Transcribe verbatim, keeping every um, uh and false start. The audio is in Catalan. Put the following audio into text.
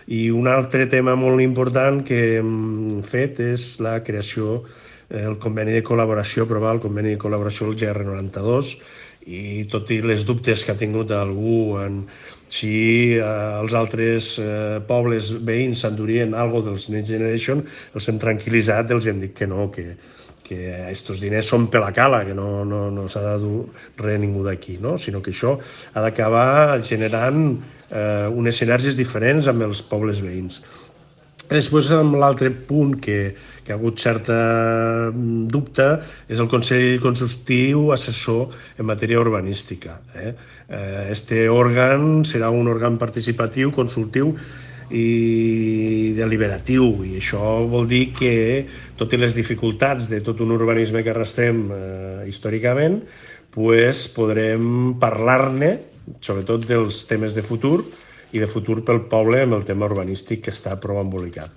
I un altre tema molt important que hem fet és la creació, el conveni de col·laboració, aprovar el conveni de col·laboració del G R noranta-dos, i tot i les dubtes que ha tingut algú en si eh, els altres eh, pobles veïns s'endurien alguna cosa dels Next Generation, els hem tranquil·litzat, els hem dit que no, que, que aquests diners són per la cala, que no, no, no s'ha de dur res ningú d'aquí, no? Sinó que això ha d'acabar generant eh, unes sinergies diferents amb els pobles veïns. Després, amb l'altre punt que, que ha hagut certa dubte és el Consell Consultiu Assessor en matèria urbanística. Eh? Este òrgan serà un òrgan participatiu, consultiu i deliberatiu, i això vol dir que totes les dificultats de tot un urbanisme que arrastrem eh, històricament, pues, podrem parlar-ne, sobretot dels temes de futur, i de futur pel poble amb el tema urbanístic que està prou embolicat.